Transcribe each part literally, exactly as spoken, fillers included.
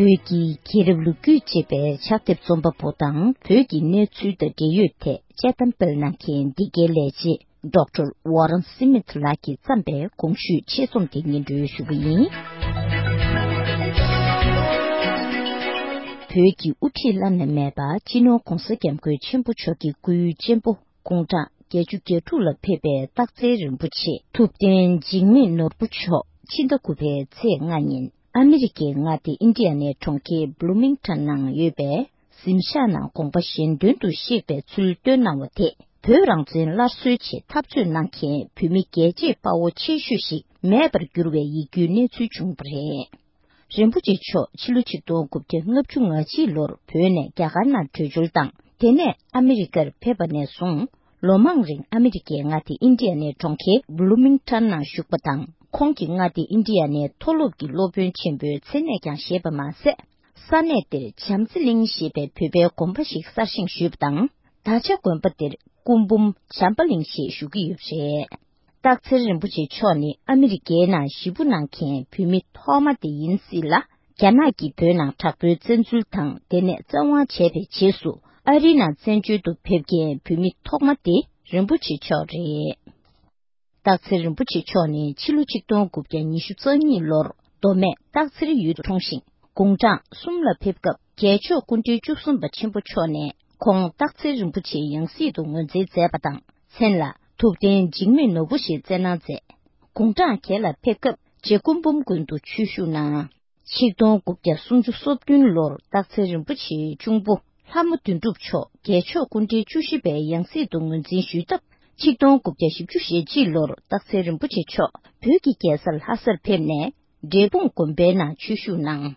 བོད་ཀྱི་རྒྱལ་རབས་ལོ་རྒྱུས་ཅེས་པའི་ཕྱག་དེབ་རྩོམ་པ་པོ་དང་བོད་ཀྱི་གནས་ཚུལ་དང་འབྲེལ་ཡོད་ཐད་དཔྱད་གཏམ་སྤེལ་གནང་མཁན་འདི་གའི་ལས་བྱེད་ཌོག་ཊར་ཝོ་རན་སི་མིཐ་ལགས་ཀྱིས་བརྩམས་པའི་གོང་ཞུས་ཆེད་རྩོམ་དེ་སྙན་སྒྲོན་ཞུ་གི་ཡིན། བོད་ཀྱི་དབུ་ཁྲིད་བླ་ན་མེད་པ་སྤྱི་ནོར་༧གོང་ས་༧སྐྱབས་མགོན་ཆེན་པོ་མཆོག་གི་སྐུའི་གཅེན་པོ་དགུང་གྲངས་བརྒྱད་ཅུ་གྱ་དྲུག་ལ་ཕེབས་པའི་སྟག་འཚེར་རིན་པོ་ཆེ་ཐུབ་བསྟན་འཇིགས་མེད་ནོར་བུ་མཆོག་ཕྱི་ཟླ་དགུ་པའི་ཚེས་ལྔ་ཉིན་ཨ་མི་རི་ཀའི་མངའ་སྡེ་ཨིན་ཌི་ཡ་ནའི་གྲོང་ཁྱེར་བྷ་ལུ་མིང་ཊོན་ནང་ཡོད་པའི་གཟིམ་ཤག་ནང་དགོངས་པ་གཞན་དོན་དུ་གཤེགས་པའི་ཚུལ་བཏོན་གནང་བ་དེ། བོད་རང་བཙན་སླར་གསོའི་ཆེད་འཐབ་རྩོད་གནང་མཁན་བོད་མི་རྒྱལ་གཅེས་དཔའ་བོ་ཆེ་ཤོས་ཤིག་མེད་པར་གྱུར་བའི་ཡིད་སྐྱོའི་གནས་ཚུལ་བྱུང་བ་རེད། རིན་པོ་ཆེ་མཆོག་ཕྱི་ལོ་ཆིག་སྟོང་དགུ་བརྒྱ་ལྔ་བཅུ་ང་གཅིག་ལོར་བོད་ནས་རྒྱ་གར་ནང་བྲོས་བྱོལ་དང་། དེ་ནས་ཨ་མི་རི་ཀར་ཕེབས་པ་ནས་བཟུང་། ལོ་མང་རིང་ཨ་མི་རི་ཀའི་མངའ་སྡེ་ཨིན་ཌི་ཡ་ནའི་གྲོང་ཁྱེར་བྷ་ལུ་མིང་ཊོན་ནང་བཞུགས་པ་དང་། ཁོང་གིས་མངའ་སྡེ་ཨིན་ཌི་ཡ་ནའི་མཐོ་སློབ་ཀྱི་སློབ་དཔོན་ཆེན་པོའི་མཚན་གནས་ཀྱང་བཞེས་པ་མ་ཟད། ས་གནས་དེར་བྱམས་བརྩེ་གླིང་ཞེས་པའི་བོད་པའི་དགོན་པ་ཞིག་གསར་བཞེངས་ཞུས་པ་དང་། ད་ཆ་དགོན་པ་དེར་སྐུ་འབུམ་བྱམས་པ་གླིང་ཞེས་ཞུ་གི་ཡོད་པ་རེད། སྟག་འཚེར་རིན་པོ་ཆེ་མཆོག་ནི་ཨ་མི་རི་ཀའི་ནང་གཞིས་སྤོ་གནང་མཁན་བོད་མི་ཐོག་མ་དེ་ཡིན་སྲིད་ལ། རྒྱ་ནག་གིས་བོད་ནང་དྲག་པོའི་བཙན་འཛུལ་དང་དེ་ནས་བཙན་དབང་བྱས་པའི་རྗེས་སུ་ཨ་རིའི་ནང་བཙན་བྱོལ་དུ་ཕེབས་མཁན་བོད་མི་ཐོག་མ་དེ་རིན་པོ་ཆེ་མཆོག་རེད། སྟག་འཚེར་རིན་པོ་ཆེ་མཆོག་ནི་ཕྱི་ལོ་ཆིག་སྟོང་དགུ་བརྒྱ་ཉི་ཤུ་རྩ་གཉིས་ལོར་མདོ་སྨད་སྟག་འཚེར་ཡུལ་དུ་འཁྲུངས་ཤིང་། དགུང་གྲངས་གསུམ་ལ་ཕེབས་སྐབས་རྒྱལ་མཆོག་སྐུ་ཕྲེང་བཅུ་གསུམ་པ་ཆེན་པོ་མཆོག་ནས་ཁོང་སྟག་འཚེར་རིན་པོ་ཆེའི་ཡང་སྲིད་དུ་ངོས་འཛིན་མཛད་པ་དང་། མཚན་ལ་ཐུབ་བསྟན་འཇིགས་མེད་ནོར་བུ་ཞེས་བསྩལ་གནང་མཛད། དགུང་གྲངས་བརྒྱད་ལ་ཕེབས་སྐབས་རྗེ་སྐུ་འབུམ་དགོན་དུ་ཆོས་ཞུགས་གནང་། ཆིག་སྟོང་དགུ་བརྒྱ་སུམ་ཅུ་སོ་བདུན་ལོར་སྟག་འཚེར་རིན་པོ་ཆེའི་གཅུང་པོ་ལྷ་མོ་དོན་གྲུབ་མཆོག་རྒྱལ་མཆོག་སྐུ་ཕྲེང་བཅུ་བཞི་པའི་ཡང་སྲིད་དུ་ངོས་འཛིན་ཞུས་སྟབས། ཆིག་སྟོང་དགུ་བརྒྱ་བཞི་བཅུ་ཞེ་གཅིག་ལོར་སྟག་འཚེར་རིན་པོ་ཆེ་མཆོག་བོད་ཀྱི་རྒྱལ་ས་ལྷ་སར་ཕེབས་ནས། འབྲས་སྤུངས་དགོན་པའི་ནང་ཆོས་ཞུགས་གནང་།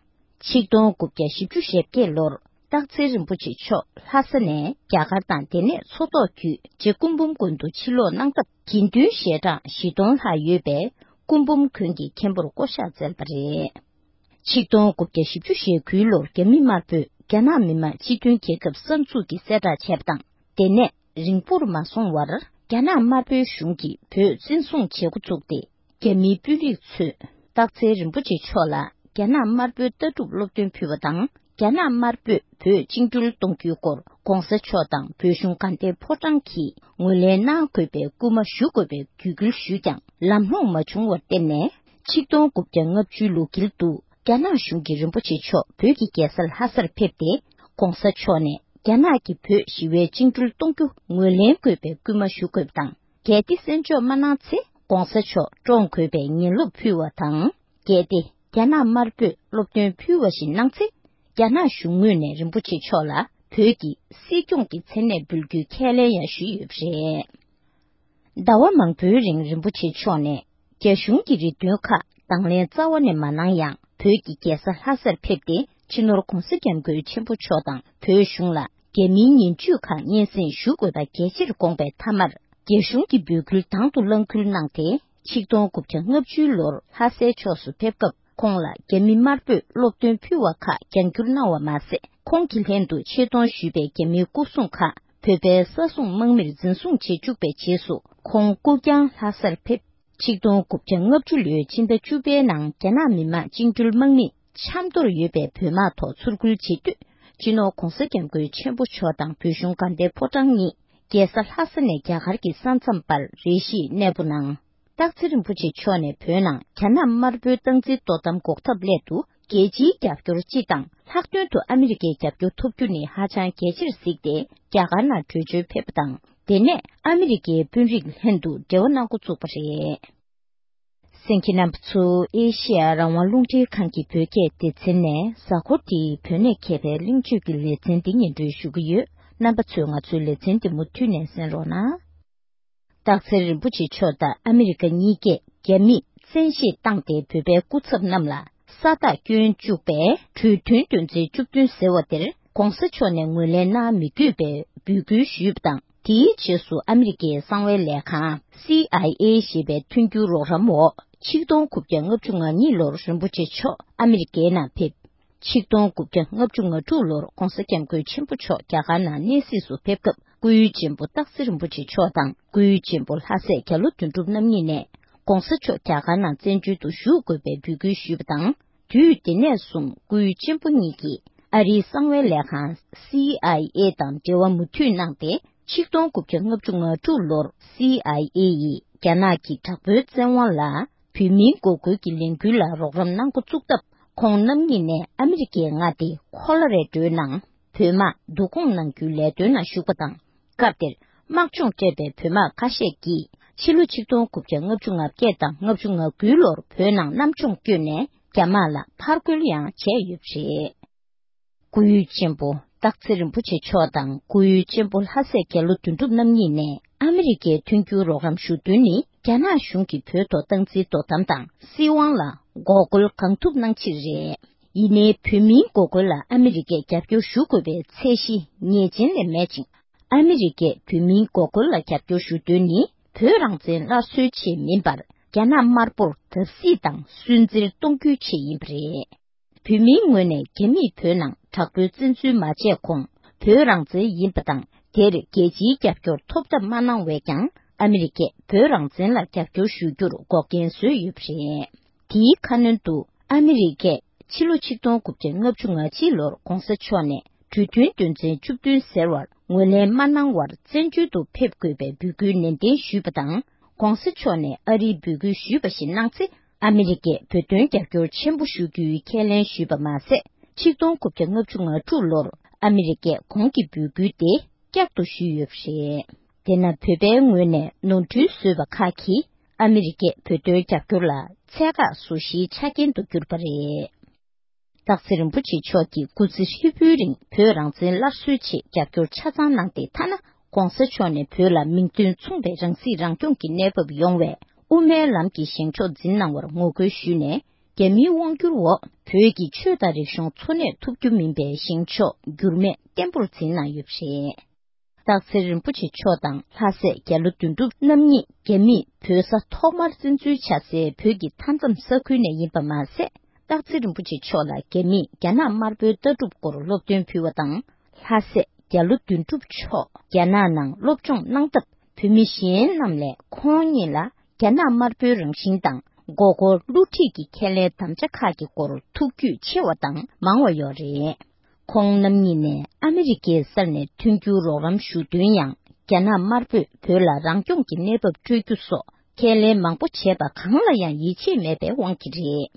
ཆིག་སྟོང་དགུ་བརྒྱ་བཞི་བཅུ་ཞེ་བརྒྱད་ལོར་སྟག་འཚེར་རིན་པོ་ཆེ་མཆོག་ལྷ་ས་ནས་རྒྱ་གར་དང་དེ་ནས་མཚོ་ཐོག་བརྒྱུད་རྗེ་སྐུ་འབུམ་དགོན་དུ་ཕྱིར་ལོག་གནང་སྟབས། དགེ་འདུན་ཞལ་གྲངས་བཞི་སྟོང་ལྷག་ཡོད་པའི་སྐུ་འབུམ་དགོན་གྱི་མཁན་པོར་བསྐོ་གཞག་བསྩལ་བ་རེད། ཆིག་སྟོང་དགུ་བརྒྱ་བཞི་བཅུ་ཞེ་དགུ་ལོར་རྒྱ་མི་དམར་པོས་རྒྱ་ནག་མི་དམངས་སྤྱི་མཐུན་རྒྱལ་ཁབ་གསར་འཛུགས་ཀྱི་གསལ་བསྒྲགས་བྱས་པ་དང་། དེ་ནས་རིང་པོར་མ་སོང་བར་རྒྱ་ནག་དམར་པོའི་གཞུང་གིས་བོད་བཙན་བཟུང་བྱེད་འགོ་བཙུགས་ཏེ། རྒྱ་མིའི་དཔོན་རིགས་ཚོས་སྟག་འཚེར་རིན་པོ་ཆེ་མཆོག་ལ་རྒྱ་ནག་དམར་པོའི་ལྟ་གྲུབ་སློབ་སྟོན་ཕུལ་བ་དང་། རྒྱ་ནག་དམར་པོས་བོད་བཅིངས་འགྲོལ་གཏོང་རྒྱུའི་སྐོར་༧གོང་ས་མཆོག་དང་བོད་གཞུང་དགའ་ལྡན་ཕོ་བྲང་གིས་ངོས་ལེན་གནང་དགོས་པའི་སྐུལ་མ་ཞུ་དགོས་པའི་བརྒྱུད་སྐུལ་ཞུས་ཀྱང་། ལམ་ལྷོང་མ་བྱུང་བར་བརྟེན་ནས། ཆིག་སྟོང་དགུ་བརྒྱ་ལྔ་བཅུའི་ལོ་དཀྱིལ་དུ་རྒྱ་ནག་གཞུང་གིས་རིན་པོ་ཆེ་མཆོག་བོད་ཀྱི་རྒྱལ་ས་ལྷ་སར་ཕེབས་ཏེ། ༧གོང་ས་མཆོག་ནས་རྒྱ་ནག་གིས་བོད་ཞི་བའི་བཅིངས་འགྲོལ་གཏོང་རྒྱུ་ངོས་ལེན་དགོས་པའི་སྐུལ་མ་ཞུ་དགོས་པ་དང་། གལ་ཏེ་གསན་འཇོག་མ་གནང་ཚེ། ༧གོང་ས་མཆོག་བཀྲོངས་དགོས་པའི་ངན་སློབ་ཕུལ་བ་དང་། གལ་ཏེ་རྒྱ་ནག་དམར་པོས་སློབ་སྟོན་ཕུལ་བ་བཞིན་གནང་ཚེ། རྒྱ་ནག་གཞུང་ངོས་ནས་རིན་པོ་ཆེ་མཆོག་ལ་བོད་ཀྱི་སྲིད་སྐྱོང་གི་མཚན་གནས་འབུལ་རྒྱུའི་ཁས་ལེན་ཡང་ཞུས་ཡོད་པ་རེད། ཟླ་བ་མང་པོའི་རིང་རིན་པོ་ཆེ་མཆོག་ནས་རྒྱ་གཞུང་གི་རེ་འདུན་ཁག་དང་ལེན་རྩ་བ་ནས་མ་གནང་ཡང་། བོད་ཀྱི་རྒྱལ་ས་ལྷ་སར་ཕེབས་ཏེ། སྤྱི་ནོར་༧གོང་ས་༧སྐྱབས་མགོན་ཆེན་པོ་མཆོག་དང་བོད་གཞུང་ལ་རྒྱ་མིའི་ཉེས་བྱུས་ཁག་སྙན་སེང་ཞུ་དགོས་པ་གལ་ཆེར་དགོངས་པའི་མཐའ་མར། རྒྱ་གཞུང་གི་འབོད་སྐུལ་དང་དུ་རླངས་འཁུར་གནང་སྟེ། ཆིག་སྟོང་དགུ་བརྒྱ་ལྔ་བཅུ་ལོར་ལྷ་སའི་ཕྱོགས་སུ་ཕེབས་སྐབས། ཁོང་ལ་རྒྱ་མི་དམར་པོས་སློབ་སྟོན་ཕུལ་བ་ཁག་རྒྱང་བསྒྱུར་གནང་བ་མ་ཟད། ཁོང་གིས་ལྷན་དུ་ཆེད་གཏོང་ཞུས་པའི་རྒྱ་མིའི་སྐུ་སྲུང་ཁག་བོད་པའི་ས་སྲུང་དམག་མིར་འཛིན་བཟུང་བྱེད་བཅུག་པའི་རྗེས་སུ། ཁོང་སྐུ་རྐྱང་ལྷ་སར་ཕེབས། ཆིག་སྟོང་དགུ་བརྒྱ་ལྔ་བཅུ་ལོའི་ཕྱི་ཟླ་བཅུ་པའི་ནང་རྒྱ་ནག་མི་དམངས་བཅིངས་འགྲོལ་དམག་མིས་ཆབ་མདོར་ཡོད་པའི་བོད་དམག་ཐོག་ཚུར་རྒོལ་བྱེད་དུས། སྤྱི་ནོར་༧གོང་ས་༧སྐྱབས་མགོན་ཆེན་པོ་མཆོག་དང་བོད་གཞུང་དགའ་ལྡན་ཕོ་བྲང་གཉིས་རྒྱལ་ས་ལྷ་ས་ནས་རྒྱ་གར་གྱི་ས་མཚམས་བར་རེ་ཞིག་གནས་སྤོ་གནང་། སྟག་འཚེར་རིན་པོ་ཆེ་མཆོག་ནས་བོད་ནང་རྒྱ་ནག་དམར་པོའི་སྟངས་འཛིན་གཏོར་གཏམ་འགོག་ཐབས་སླད་དུ། རྒྱལ་སྤྱིའི་རྒྱབ་སྐྱོར་སྤྱི་དང་ལྷག་དོན་དུ་ཨ་མི་རི་ཀའི་རྒྱབ་སྐྱོར་ཐོབ་རྒྱུ་ནི་ཧ་ཅང་གལ་ཆེར་གཟིགས་ཏེ། རྒྱ་གར་ནང་བྲོས་བྱོལ་ཕེབས་པ་དང་། དེ་ནས་ཨ་མི་རི་ཀའི་དཔོན་རིགས་ལྷན་དུ་འབྲེལ་བ་གནང་འགོ་བཙུགས་པ་རེད། གསན་མཁན་རྣམ་པ་ཚོ། ཨེ་ཤེ་ཡ་རང་དབང་རླུང་འཕྲིན་ཁང་གི་བོད་སྐད་སྡེ་ཚན་ནས། གཟའ་འཁོར་འདིའི་བོད་གནས་མཁས་པའི་གླེང་བརྗོད་ཀྱི་ལེ་ཚན་འདི་སྙན་སྒྲོན་ཞུ་གི་ཡོད། རྣམ་པ་ཚོས་ང་ཚོའི་ལེ་ཚན་འདི་མུ་མཐུད་ནས་གསན་རོགས་གནང་། སྟག་འཚེར་རིན་པོ་ཆེ་མཆོག་དང་ཨ་མི་རི་ཀ་གཉིས་ཀས་རྒྱ་མིས་བཙན་ཤེད་བཏང་སྟེ་བོད་པའི་སྐུ་ཚབ་རྣམས་ལ་ས་རྟགས་བསྐྱོན་བཅུག་པའི་གྲོས་མཐུན་དོན་ཚན་བཅུ་བདུན་ཟེར་བ་དེར་༧གོང་ས་མཆོག་ནས་ངོས་ལེན་གནང་མི་དགོས་པའི་འབོད་སྐུལ་ཞུས་པ་དང་། དེའི་རྗེས་སུ་ཨ་མི་རི་ཀའི་གསང་བའི་ལས་ཁང་། སི་ཨའི་ཨེ་ཞེས་པའི་མཐུན་འགྱུར་རོགས་རམ་འོག་ཆིག་སྟོང་དགུ་བརྒྱ་ལྔ་བཅུ་ང་གཉིས་ལོར་རིན་པོ་ཆེ་མཆོག་ཨ་མི་རི་ཀའི་ནང་ཕེབས། ཆིག་སྟོང་དགུ་བརྒྱ་ལྔ་བཅུ་ང་དྲུག་ལོར་༧གོང་ས་༧སྐྱབས་མགོན་ཆེན་པོ་མཆོག་རྒྱ་གར་ནང་གནས་གཟིགས་སུ་ཕེབས་སྐབས། སྐུའི་གཅེན་པོ་སྟག་འཚེར་རིན་པོ་ཆེ་མཆོག་དང་། སྐུའི་གཅེན་པོ་ལྷ་སྲས་རྒྱ་ལོ་དོན་གྲུབ་རྣམ་གཉིས་ནས་༧གོང་ས་མཆོག་རྒྱ་གར་ནང་བཙན་བྱོལ་དུ་བཞུགས་དགོས་པའི་འབོད་སྐུལ་ཞུས་པ་དང་། དུས་དེ་ནས་བཟུང་སྐུའི་གཅེན་པོ་གཉིས་ཀྱིས་ཨ་རིའི་གསང་བའི་ལས་ཁང་སི་ཨའི་ཨེ་དང་འབྲེལ་བ་མུ་མཐུད་གནང་སྟེ། ཆིག་སྟོང་དགུ་བརྒྱ་ལྔ་བཅུ་ང་དྲུག་ལོར་སི་ཨའི་ཨེ་ཡིས་རྒྱ་ནག་གི་དྲག་པོའི་བཙན་དབང་ལ་བོད་མིའི་འགོག་རྒོལ་གྱི་ལས་འགུལ་ལ་རོགས་རམ་གནང་འགོ་བཙུགས་སྟབས། ཁོང་རྣམ་གཉིས་ནས་ཨ་མི་རི་ཀའི་མངའ་སྡེ་ཁོ་ལོ་རེ་ཌོའི་ནང་བོད་དམག་བསྡུ་སྐོང་གནང་རྒྱུའི་ལས་དོན་ནང་ཞུགས་པ་དང་། སྐབས་དེར་དམག་སྦྱོང་སྤྲད་པའི་བོད་དམག་ཁ་ཤས་ཀྱིས་ཕྱི་ལོ་ཆིག་སྟོང་དགུ་བརྒྱ་ལྔ་བཅུ་ང་བརྒྱད་དང་ལྔ་བཅུ་ང་དགུའི་ལོར་བོད་ནང་གནམ་སྦྱོང་བསྐྱོད་ནས་རྒྱ་དམག་ལ་ཕར་རྒོལ་ཡང་བྱས་ཡོད་པ་རེད། སྐུའི་གཅེན་པོ་སྟག་འཚེར་རིན་པོ་ཆེ་མཆོག་དང་སྐུའི་གཅེན་པོ་ལྷ་སྲས་རྒྱ་ལོ་དོན་གྲུབ་རྣམ་གཉིས་ནས་ཨ་མི་རི་ཀའི་མཐུན་འགྱུར་རོགས་རམ་ཞུ་དོན་ནི། རྒྱ་ནག་གཞུང་གིས་བོད་ཐོག་སྟངས་འཛིན་དོ་དམ་དང་སྲིད་དབང་ལ་འགོག་རྒོལ་གང་ཐུབ་གནང་ཕྱིར་རེད། ཡིན་ནའི་བོད་མིའི་འགོག་རྒོལ་ལ་ཨ་མི་རི་ཀས་རྒྱབ་སྐྱོར་ཞུ་དགོས་པའི་ཚད་གཞི་ངེས་ཅན་ལས་མེད་ཅིང་། ཨ་མི་རི་ཀས་བོད་མིའི་འགོག་རྒོལ་ལ་རྒྱབ་སྐྱོར་ཞུ་དོན་ནི་བོད་རང་བཙན་སླར་གསོའི་ཆེད་མིན་པར། རྒྱ་ནག་དམར་པོར་བརྡབ་གསིག་དང་སུན་གཙེར་གཏོང་རྒྱུའི་ཆེད་ཡིན་པ་རེད། བོད་མིའི་ངོས་ནས་རྒྱ་མིས་བོད་ནང་དྲག་པོའི་བཙན་འཛུལ་མ་བྱས་གོང་བོད་རང་བཙན་ཡིན་པ་དང་། དེར་རྒྱལ་སྤྱིའི་རྒྱབ་སྐྱོར་ཐོབ་ཐབས་མ་གནང་བས་ཀྱང་། ཨ་མི་རི་ཀས་བོད་རང་བཙན་ལ་རྒྱབ་སྐྱོར་ཞུ་རྒྱུར་འགོག་རྐྱེན་བཟོས་ཡོད་པ་རེད། དེའི་ཁ་སྣོན་དུ་ཨ་མི་རི་ཀས་ཕྱི་ལོ་ཆིག་སྟོང་དགུ་བརྒྱ་ལྔ་བཅུ་ང་གཅིག་ལོར་གོང་ས་མཆོག་ནས་གྲོས་མཐུན་དོན་ཚན་བཅུ་བདུན་ཟེར་བར་ངོས་ལེན་མ་གནང་བར་བཙན་བྱོལ་དུ་ཕེབས་དགོས་པའི་འབོད་སྐུལ་ནན་ཏན་ཞུས་པ་དང་། གོང་ས་མཆོག་ནས་ཨ་རིའི་འབོད་སྐུལ་ཞུས་པ་བཞིན་གནང་ཚེ། ཨ་མི་རི་ཀས་བོད་དོན་རྒྱབ་སྐྱོར་ཆེན་པོ་ཞུ་རྒྱུའི་ཁས་ལེན་ཞུས་པ་མ་ཟད། ཆིག་སྟོང་དགུ་བརྒྱ་ལྔ་བཅུ་ང་དྲུག་ལོར་ཨ་མི་རི་ཀས་གོང་གི་འབོད་སྐུལ་དེ་བསྐྱར་དུ་ཞུས་ཡོད་པ་རེད། དེས་ན་བོད་པའི་ངོས་ནས་ནོར་འཁྲུལ་བཟོས་པ་ཁག་གིས་ཨ་མི་རི་ཀས་བོད་དོན་རྒྱབ་སྐྱོར་ལ་ཚད་བཀག་བཟོ་གཞིའི་ཆ་རྐྱེན་དུ་གྱུར་པ་རེད། སྟག་འཚེར་རིན་པོ་ཆེ་མཆོག་གིས་སྐུ་ཚེ་ཧྲིལ་པོའི་རིང་བོད་རང་བཙན་སླར་གསོའི་ཆེད་རྒྱབ་སྐྱོར་ཆ་ཚང་གནང་སྟེ། ཐ་ན་གོང་ས་མཆོག་ནས་བོད་ལ་མིང་དོན་མཚུངས་པའི་རང་སྲིད་རང་སྐྱོང་གི་གནས་བབ་ཡོང་བའི་དབུ་མའི་ལམ་གྱི་བཞེངས་ཕྱོགས་འཛིན་གནང་བར་ངོ་རྒོལ་ཞུས་ནས། རྒྱ་མིའི་དབང་བསྒྱུར་འོག་བོད་ཀྱི་ཆོས་དང་རིག་གཞུང་འཚོ་གནས་ཐུབ་རྒྱུ་མིན་པའི་བཞེངས་ཕྱོགས་འགྱུར་མེད་བརྟན་པོར་འཛིན་གནང་ཡོད་པ་རེད། སྟག་འཚེར་རིན་པོ་ཆེ་མཆོག་དང་ལྷ་སྲས་རྒྱ་ལོ་དོན་གྲུབ་རྣམ་གཉིས་རྒྱ་མིས་བོད་ས་ཐོག་མར་བཙན་འཛུལ་བྱ་སའི་བོད་ཀྱི་མཐའ་མཚམས་ས་ཁུལ་ནས་ཡིན་པ་མ་ཟད། སྟག་འཚེར་རིན་པོ་ཆེ་མཆོག་ལ་རྒྱ་མིས་རྒྱ་ནག་དམར་པོའི་ལྟ་གྲུབ་སྐོར་སློབ་སྟོན་ཕུལ་བ་དང་། ལྷ་སྲས་རྒྱ་ལོ་དོན་གྲུབ་མཆོག་རྒྱ་ནག་ནང་སློབ་སྦྱོང་གནང་སྟབས། བོད་མི་གཞན་རྣམས་ལས་ཁོང་ཉིད་ལ་རྒྱ་ནག་དམར་པོའི་རང་བཞིན་དང་། མགོ་སྐོར་བསླུ་བྲིད་ཀྱི་ཁས་ལེན་དམ་བཅའ་ཁག་གི་སྐོར་ཐུགས་རྒྱུས་ཆེ་བ་དང་མང་བ་ཡོད་རེད། ཁོང་རྣམ་གཉིས་ནས་ཨ་མི་རི་ཀའི་སར་ནས་མཐུན་འགྱུར་རོགས་རམ་ཞུ་དོན་ཡང་། རྒྱ་ནག་དམར་པོས་བོད་ལ་རང་སྐྱོང་གི་གནས་བབ་སྤྲོད་རྒྱུ་སོགས་ཁས་ལེན་མང་པོ་བྱས་པ་གང་ལ་ཡང་ཡིད་ཆེས་མེད་པའི་དབང་གིས་རེད།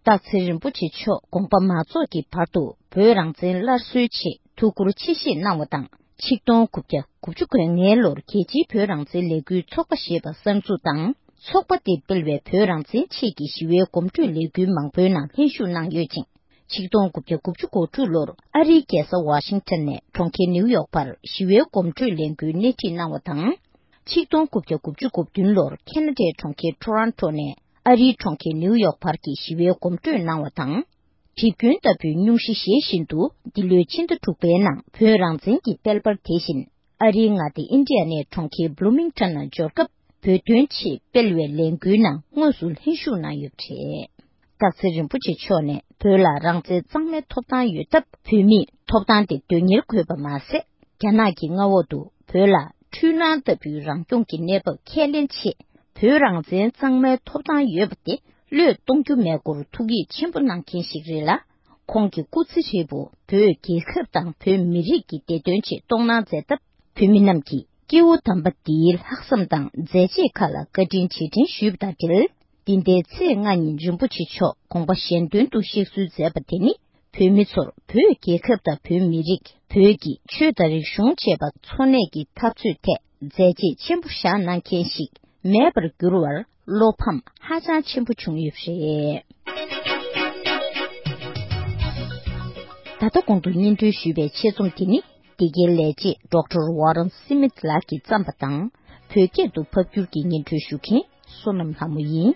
སྟག་འཚེར་རིན་པོ་ཆེ་མཆོག་དགོངས་པ་མ་རྫོགས་ཀྱི་བར་དུ་བོད་རང་བཙན་སླར་གསོའི་ཆེད་ཐུགས་ཁུར་ཆེ་བཞེས་གནང་བ་དང་། ཆིག་སྟོང་དགུ་བརྒྱ་དགུ་བཅུ་གོ་ལྔའི་ལོར་རྒྱལ་སྤྱིའི་བོད་རང་བཙན་ལས་འགུལ་ཚོགས་པ་ཞེས་པ་གསར་འཛུགས་དང་། ཚོགས་པ་དེས་སྤེལ་བའི་བོད་རང་བཙན་ཆེད་ཀྱི་ཞི་བའི་གོམ་བགྲོད་ལས་འགུལ་མང་པོའི་ནང་ལྷན་ཞུགས་གནང་ཡོད་ཅིང་། ཆིག་སྟོང་དགུ་བརྒྱ་དགུ་བཅུ་གོ་དྲུག་ལོར་ཨ་རིའི་རྒྱལ་ས་ཝ་ཤིང་ཊོན་ནས་གྲོང་ཁྱེར་ནིའུ་ཡོག་བར་ཞི་བའི་གོམ་བགྲོད་ལས་འགུལ་སྣེ་ཁྲིད་གནང་བ་དང་། ཆིག་སྟོང་དགུ་བརྒྱ་དགུ་བཅུ་གོ་བདུན་ལོར་ཁེ་ན་ཌའི་གྲོང་ཁྱེར་ཊོ་རོན་ཊོ་ནས་ཨ་རིའི་གྲོང་ཁྱེར་ནིའུ་ཡོག་བར་གྱི་ཞི་བའི་གོམ་བགྲོད་གནང་བ་དང་། གྲིབ་སྐྱོན་ལྟ་བུའི་སྙུང་གཞི་བཞེས་བཞིན་དུ། འདི་ལོའི་ཕྱི་ཟླ་དྲུག་པའི་ནང་བོད་རང་བཙན་གྱི་དཔལ་འབར་དེ་བཞིན། ཨ་རིའི་མངའ་སྡེ་ཨིན་ཌི་ཡ་ནའི་གྲོང་ཁྱེར་བྷུ་ལུ་མིང་ཊོན་ནང་འབྱོར་སྐབས། བོད་དོན་ཆེད་སྤེལ་བའི་ལས་འགུལ་ནང་དངོས་སུ་ལྷན་ཞུགས་གནང་ཡོད་པ་རེད། སྟག་འཚེར་རིན་པོ་ཆེ་མཆོག་ནས་བོད་ལ་རང་བཙན་གཙང་མའི་ཐོབ་ཐང་ཡོད་སྟབས། བོད་མིས་ཐོབ་ཐང་དེ་དོན་གཉེར་དགོས་པ་མ་ཟད། རྒྱ་ནག་གི་མངའ་འོག་ཏུ་བོད་ལ་འཁྲུལ་སྣང་ལྟ་བུའི་རང་སྐྱོང་གི་གནས་བབ་ཁས་ལེན་ཆེད། བོད་རང་བཙན་གཙང་མའི་ཐོབ་ཐང་ཡོད་པ་དེ་བློས་གཏོང་རྒྱུ་མེད་སྐོར་ཐུགས་ཡིད་ཆེན་པོ་གནང་མཁན་ཞིག་རེད་ལ། ཁོང་གི་སྐུ་ཚེ་ཧྲིལ་པོ་བོད་རྒྱལ་ཁབ་དང་བོད་མི་རིགས་ཀྱི་བདེ་དོན་ཆེད་གཏོང་གནང་མཛད་སྟབས། བོད་མི་རྣམས་ཀྱིས་སྐྱེ་བོ་དམ་པ་འདིའི་ལྷག་བསམ་དང་མཛད་རྗེས་ཁག་ལ་བཀའ་དྲིན་རྗེས་དྲན་ཞུས་པ་དང་འབྲེལ། འདི་ཟླའི་ཚེས་ལྔ་ཉིན་རིན་པོ་ཆེ་མཆོག་དགོངས་པ་གཞན་དོན་དུ་གཤེགས་གསོལ་མཛད་པ་དེ་ནི། བོད་མི་ཚོར་བོད་རྒྱལ་ཁབ་དང་བོད་མི་རིགས། བོད་ཀྱི་ཆོས་དང་རིག་གཞུང་བཅས་པ་འཚོ་གནས་ཀྱི་འཐབ་རྩོད་ཐད་མཛད་རྗེས་ཆེན་པོ་བཞག་གནང་མཁན་ཞིག་མེད་པར་གྱུར་བར་བློ་ཕམ་ཧ་ཅང་ཆེན་པོ་བྱུང་ཡོད་པ་རེད། ད་ལྟ་གོང་དུ་སྙན་སྒྲོན་ཞུས་པའི་ཆེད་རྩོམ་དེ་ནི། འདི་གའི་ལས་བྱེད་ཌོག་ཊར་ཝ་རན་སི་མིད་ལགས་ཀྱིས་བརྩམས་པ་དང་། བོད་སྐད་དུ་ཕབ་སྒྱུར་གྱིས་སྙན་སྒྲོན་ཞུ་མཁན་བསོད་ནམས་ལྷ་མོ་ཡིན།